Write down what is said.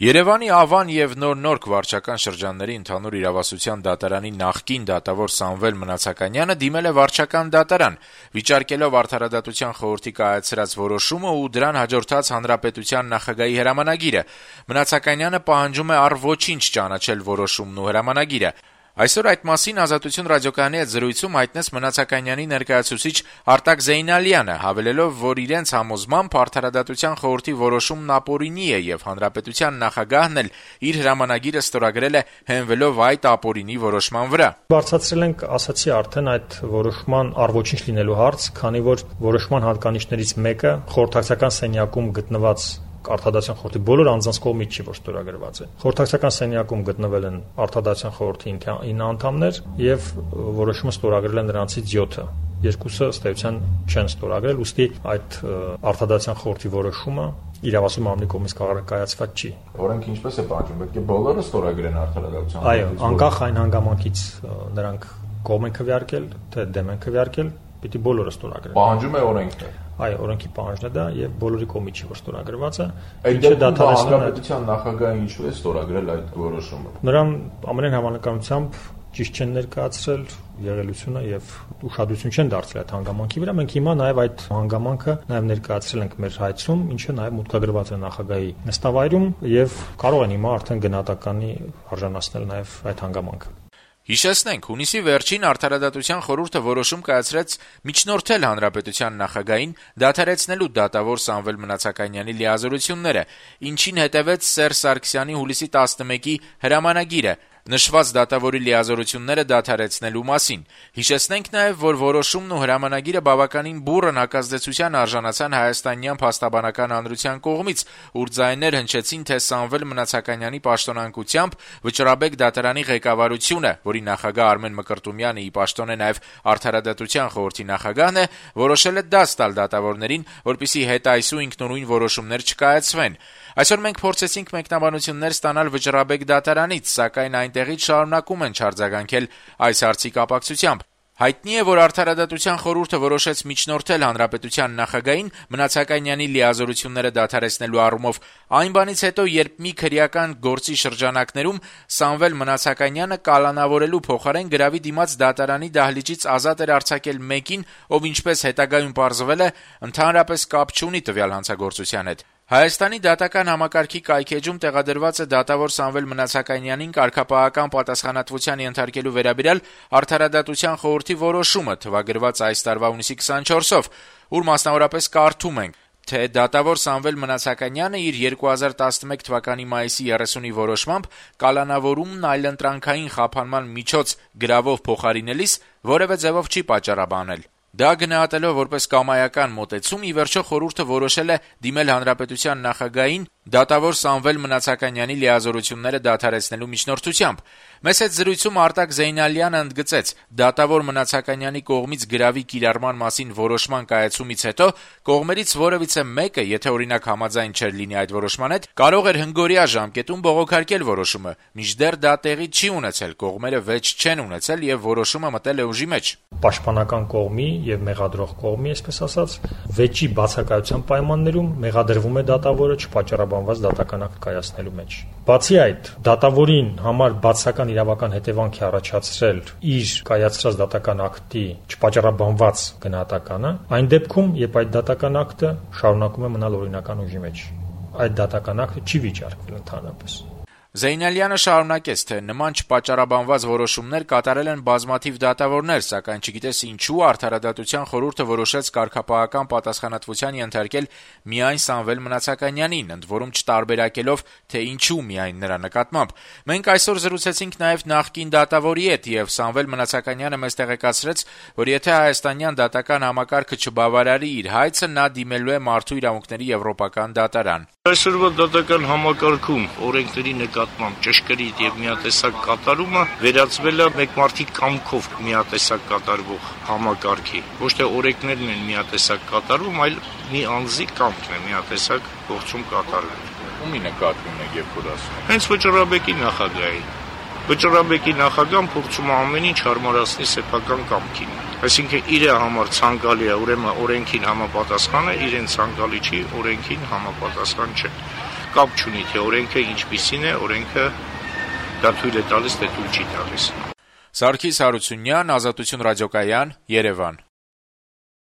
Երևանի Ավան եւ Նոր վարչական շրջանների ընդհանուր իրավասության դատարանի նախկին դատավոր Սամվել Մնացականյանը դիմել է վարչական դատարան, վիճարկելով Արդարադատության խորհրդի կայացրած որոշումը ու դրան հաջորդած Հանրապետության նախագահի հրամանագիրը։ Մնացականյանը պահանջում է առ ոչինչ ճանաչել որոշումն ու հրամանագիրը։ Այսօր այդ մասին Ազատություն ռադիոկայանի հետ զրույցում հայտնեց Մնացականյանի ներկայացուցիչ Արտակ Զեյնալյանը, հավելելով, որ իրենց համոզմամբ Արդարադատության խորհրդի որոշումն ապօրինի է եւ Հանրապետության նախագահն էլ իր հրամանագիրը ստորագրել է հենվելով այդ ապօրինի որոշման վրա։ Բարձրացրել ենք, ասացի արդեն, այդ որոշման առ ոչինչ լինելու հարց, քանի որ որոշման հատկանիշներից մեկը խորհրդակցական սենյակում գտնված Արդարադատության խորհրդի բոլոր անձանց կողմից չի, որ ստորագրված է։ Խորհրդակցական սենյակում գտնվել են Արդարադատության խորհրդի 9 անդամներ եւ որոշումը ստորագրել են նրանցից 7-ը։ Երկուսը ըստ էության չեն ստորագրել, ուստի այդ Արդարադատության խորհրդի որոշումը իրավասու մարմնի կողմից կայացված չի։ Օրենքը ինչպես է պահանջում, պետք է բոլորը ստորագրեն Արդարադատության խորհրդից։ Այո, անկախ այն հանգամանքից նրանք կողմ են քվեարկել, թե դեմ են քվեարկել, պիտի բոլորը ստորագրեն։ Պահանջում է օրենքը։ Այո, օրենքի պահանջն է դա եւ բոլորի կողմից չի, որ ստորագրված է։ Ինչը դատարանական Հանրապետության նախագահը ինչու է ստորագրել այդ որոշումը։ Նրան ամենայն հավանականությամբ ճիշտ չեն ներկայացրել եղելությունը եւ ուշադրություն չեն դարձրել այդ հանգամանքի վրա։ Մենք հիմա նաեւ այդ հանգամանքը նաեւ ներկայացրել ենք մեր հայցում, ինչը նաեւ մուտքագրված է նախագահի նստավայրում եւ կարող են հիմա արդեն գնահատականի արժանացնել նաեւ այդ հանգամանքը։ Հիշեցնենք, հունիսի վերջին Արդարադատության խորհուրդը որոշում կայացրեց միջնորդել Հանրապետության նախագահին դադարեցնելու դատավոր Սամվել Մնացականյանի լիազորությունները, ինչին հետևեց Սերժ Սարգսյանի հուլիսի 11-ի հրամանագիրը նշված դատավորի լիազորությունները դադարեցնելու մասին։ Հիշեցնենք նաև, որ որոշումն ու հրամանագիրը բավականին բուռն հակազդեցության արժանացան հայաստանյան փաստաբանական հանրության կողմից, ուր ձայներ հնչեցին, թե Սամվել Մնացականյանի պաշտոնանկությամբ Վճռաբեկ դատարանի ղեկավարությունը, որի նախագահ Արմեն Մկրտումյանը ի պաշտոն է նաև Արդարադատության խորհրդի նախագահն է, որոշել է դաս տալ դատավորներին, որպեսզի հետայսու ինքնուրույն որոշումներ չկայացվեն։ Այսօր մենք փորձեցինք մեկնաբանություններ ստանալ Վճռաբեկ դատարանից, սակայն այնտեղից շարունակում են չարձագանքել այս հարցի կապակցությամբ։ Հայտնի է, որ Արդարադատության խորհուրդը որոշեց միջնորդել Հանրապետության նախագահին Մնացականյանի լիազորությունները դադարեցնելու առումով այն բանից հետո, երբ մի քրեական գործի շրջանակներում Սամվել Մնացականյանը կալանավորելու փոխարեն գրավի դիմաց դատարանի դահլիճից ազատ էր արձակել մեկին, ով ինչպես հետագայում պարզվել է, ընդհանրապես կապ չունի տվյալ հանցագործության հետ։ Հայաստանի դատական համակարգի կայքեջում տեղադրված է դատավոր Սամվել Մնացականյանին կարգապահական պատասխանատվության ենթարկելու վերաբերյալ Արդարադատության խորհրդի որոշումը թվագրված այս տարվա հունիսի 24-ով, ուր մասնավորապես կարդում ենք, թե դատավոր Սամվել Մնացականյանը իր 2011 թվականի մայիսի 30-ի որոշմամբ կալանավորումն այլընտրանքային խափանման միջոց գրավով փոխարինելիս որևէ ձևով չի պատճառաբանել։ Դա գնահատելով որպես կամայական մոտեցում, ի վերջո խորհուրդը որոշել է դիմել Հանրապետության նախագահին դատավոր Սամվել Մնացականյանի լիազորությունները դադարեցնելու միջնորդությամբ։ Մեծ հետ զրույցում Արտակ Զեյնալյանը ընդգծեց, դատավոր Մնացականյանի կողմից գրավի կիրառման մասին որոշման կայացումից հետո կողմերից որևիցե մեկը, եթե օրինակ համաձայն չէր լինի այդ որոշման հետ, կարող էր հնգօրյա ժամկետում բողոքարկել որոշումը, մինչդեռ դա տեղի չի ունեցել, կողմերը վեճ չեն ունեցել եւ որոշումը մտել է ուժի մեջ։ Պաշտպանական կողմի եւ մեղադրող կողմի, այսպես ասած, վեճի բացակայության պայմաններում մեղադրվում է դատավորը չպատճառաբանված դատական ակտ կայացնելու մեջ։ Բացի այդ, դատավորին համար բացական իրավական հետևանք է առաջացրել իր կայացրած դատական ակտի չպատճառաբանված գնահատականը, այն դեպքում, երբ այդ դատական ակտը շարունակում է մնալ օրինական ուժի մեջ։ Այդ դատական ակտը չի վիճարկվել ընդհանրապես։ Զեյնալյանը շարունակեց, թե նման չպատճառաբանված որոշումներ կատարել են բազմաթիվ դատավորներ, սակայն չգիտես ինչու Արդարադատության խորհուրդը որոշեց կարգապահական պատասխանատվության ենթարկել միայն Սամվել Մնացականյանին, ընդ որում չտարբերակելով, թե ինչու միայն նրա նկատմամբ։ Մենք այսօր զրուցեցինք նաև նախկին դատավորի հետ, եւ Սամվել Մնացականյանը մեզ տեղեկացրեց, որ եթե հայաստանյան դատական համակարգը չբավարարի իր հայցը, նա դիմելու է Մարդու իրավունքների եվրոպական դատարան։ Այսօրվա դատական համակարգում օրենքների նկատմամբ ճշգրիտ եւ միատեսակ կատարումը վերածվել է մեկ մարդի կամքով միատեսակ կատարվող համակարգի։ Ոչ թե օրենքներն են միատեսակ կատարվում, այլ մի անձի կամքն է միատեսակ գործում կատարվում։ Ումի նկատվում եք երբ որ ասում եք։ Հենց Վճռաբեկի նախագահի։ Վճռաբեկի նախագահան փորձում է ամեն ինչ հարմարացնել սեփական կամքին։ Այսինքն իր համար ցանկալի է, ուրեմն օրենքին համապատասխան է, իրեն ցանկալի չի, օրենքին համապատասխան չէ։ կապ չունի, թե օրենքը ինչպիսին է, օրենքը դա թույլ է տալիս, թե թույլ չի տալիս։ Սարգիս Հարությունյան, Ազատություն ռադիոկայան, Երևան։